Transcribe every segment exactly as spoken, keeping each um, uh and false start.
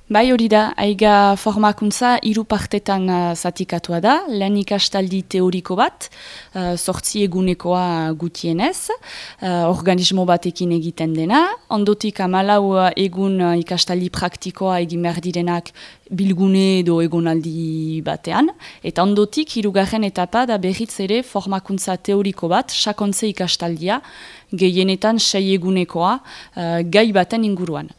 Bai hori da, aiga formakuntza hiru partetan uh, zatikatua da, lehen ikastaldi teoriko bat, uh, sortzi egunekoa gutienez, uh, organismo batekin egiten dena, ondotik hamalau egun uh, ikastaldi praktikoa egin behar direnak bilgune edo egonaldi batean, eta ondotik hirugarren etapa da berriz ere formakuntza teoriko bat, sakontze ikastaldia, gehienetan sei egunekoa uh, gai baten inguruan.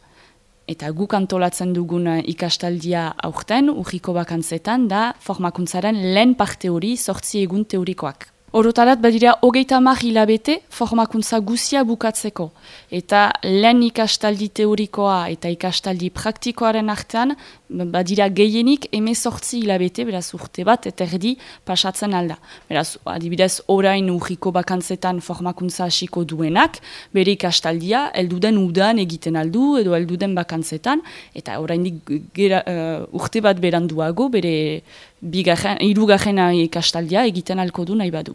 Eta guk antolatzen dugun ikastaldia aurten, urriko bakantzetan, da formakuntzaren lehen parte hori sortzi egun teorikoak. Orotarat badira hogeita hamar hilabete formakuntza guzia bukatzeko. Eta lehen ikastaldi teorikoa eta ikastaldi praktikoaren artean, badira gehienik hemezortzi hilabete, beraz urte bat, eta erdi pasatzen alda. Beraz, adibidez, orain urriko bakantzetan formakuntza hasiko duenak, bere ikastaldia, elduden udan egiten aldu, edo elduden bakantzetan, eta oraindik gera, uh, urte bat beranduago, bere hirugarren ikastaldia egiten alko du nahi badu.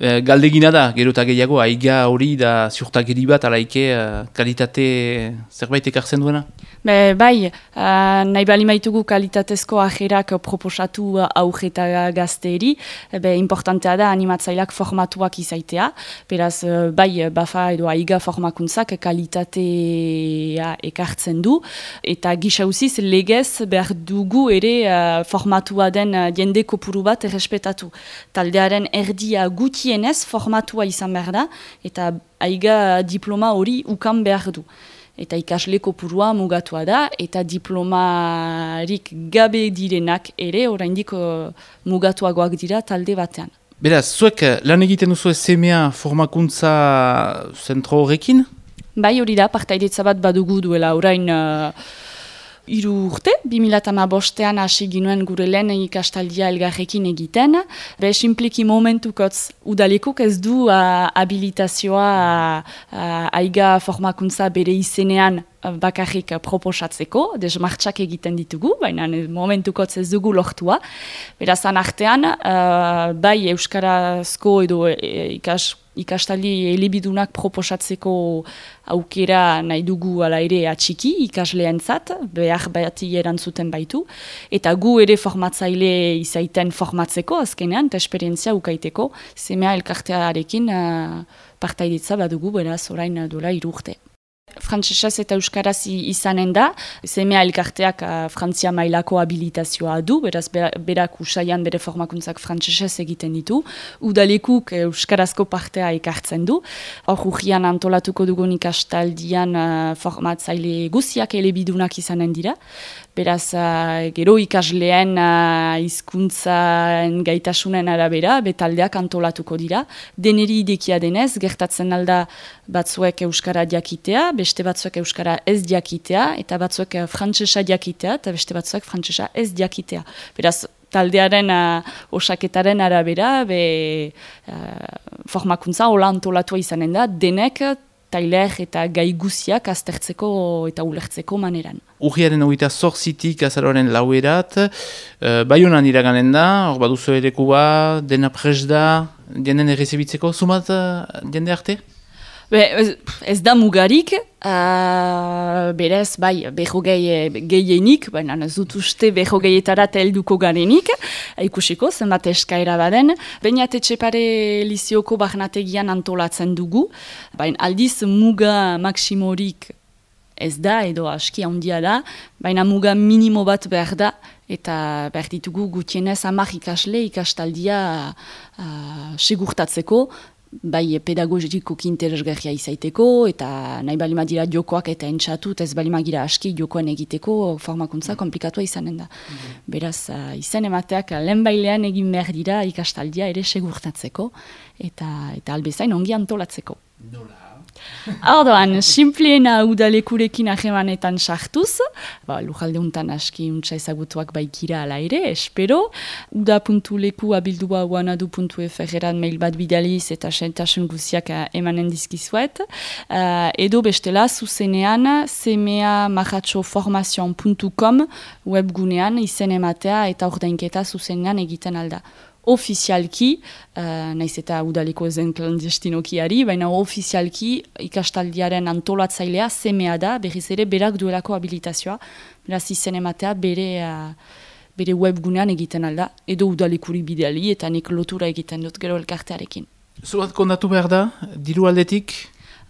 E, galdegina da, gero eta gehiago, aiga hori da ziurtagiri bat, alaike uh, kalitate zerbait ekartzen duena? Be, bai, uh, nahi bali maitugu kalitatezko ajerak proposatu aurre eta gazteeri, be, importantea da animatzaileak formatuak izaitea, beraz, bai, bafa edo aiga formakuntzak kalitatea ekartzen du, eta gisa usiz legez behar dugu ere uh, formatua den jende kopuru bat errespetatu. Taldearen erdia gutienez formatua izan behar da, eta aiga diploma hori ukan behar du. Eta ikasle kopurua mugatua da, eta diplomarik gabe direnak ere, oraindik uh, mugatuagoak dira talde batean. Beraz, zuek lan egiten duzu semea formakuntza zentro horrekin? Bai hori da, partaidetza bat badugu duela orain uh, hiru urte, bi mila hamabostean hasi ginuen gure lehen ikastaldia elgarrekin egiten. Be, simpliki momentukotz udalekuk ez du uh, habilitazioa uh, aiga formakuntza bere izenean bakarrik proposatzeko, desmartxak egiten ditugu, baina momentukotz ez dugu lortua. Berazan artean, uh, bai euskarazko edo e, ikas, ikastaldi elibidunak proposatzeko aukera nahi dugu ala ere atxiki ikasleentzat, behar bati erantzuten baitu, eta gu ere formatzaile izaiten formatzeko azkenean, eta esperientzia ukaiteko, semea elkartearekin uh, partaidetza badugu, beraz orain dola hiru urte. Frantsesez eta euskaraz izanen da, semea elkarteak uh, Frantzia mailako habilitazioa du, beraz berak usaian bere formakuntzak frantsesez egiten ditu, udalekuk euskarazko partea ekartzen du, hor urrian antolatuko dugun ikastaldian uh, formatzaile guziak elebidunak izanen dira, beraz uh, gero ikasleen uh, hizkuntzan gaitasunen arabera, betaldeak antolatuko dira, deneri idekia denez, gertatzen alda batzuek euskara diakitea, beste batzuek euskara ez diakitea, eta batzuek frantsesa diakitea, eta beste batzuek frantsesa ez diakitea. Beraz, taldearen uh, osaketaren arabera, be, uh, formakuntza hola antolatua izanen da, denek tailer eta gai guziak aztertzeko eta ulertzeko maneran. Urriaren hogeita zortzitik azaroaren lauerat, uh, Baionan iraganen da, hor baduzu erekua, dena pres da, jenden errezibitzeko, zumat uh, jende arte? Be, ez, ez da mugarik, uh, berez, bai, berrogei gehienik, baina ez dut uste berrogeietara helduko garenik, ikusiko, zenbat eskaera baden. Beñat Etxepare Lizioko barnategian antolatzen dugu, baina aldiz muga maksimorik ez da, edo aski handia da, baina muga minimo bat behar da, eta behar ditugu gutienez hamar ikasle ikastaldia uh, segurtatzeko, bai pedagogikoki interesgarria izaiteko, eta nahi balima dira jokoak eta entzatu, ez balima gira aski jokoen egiteko formakuntza komplikatua izanen da. Mm-hmm. Beraz, uh, izen emateak lehen bailean egin behar dira ikastaldia ere segurtatzeko, eta, eta albezain ongi antolatzeko. Nola? Ordoan, simpliena udalekurekin ahemanetan sartuz, ba, lujalde untan aski untsa ezagutuak baikira ala ere, espero, uda puntu leku abildua uanadu puntu efereran mail bat bidaliz eta sentasun guziak emanen dizkizuet, uh, edo bestela zuzenean semea marratxo formazion puntu com webgunean izen ematea eta ordainketa zuzenean egiten alda. ofizialki, uh, naiz eta udaleko zen klandestinokiari, baina ofizialki ikastaldiaren antolatzailea semea da, berriz ere berak duelako habilitazioa, beraz izen ematea bere, uh, bere webgunean egiten alda, edo udalekuri bideali eta nik lotura egiten dut gero elkartearekin. Zubat kondatu behar da, diru aldetik?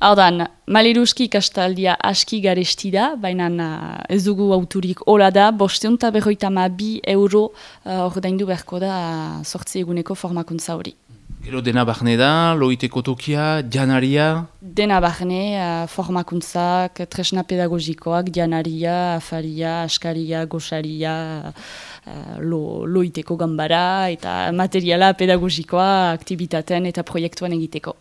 Haudan, maleruski ikastaldia aski garesti da, baina uh, ez dugu auturik hola da, bosteun eta berroita ma bi euro uh, ordaindu beharko da sortzi uh, eguneko formakuntza hori. Gero dena barne da, loiteko tokia, janaria? Dena barne, uh, formakuntzak, tresna pedagogikoak, janaria, afaria, askaria, gosaria, uh, lo, loiteko gambara, eta materiala pedagogikoa, aktibitaten eta proiektuen egiteko.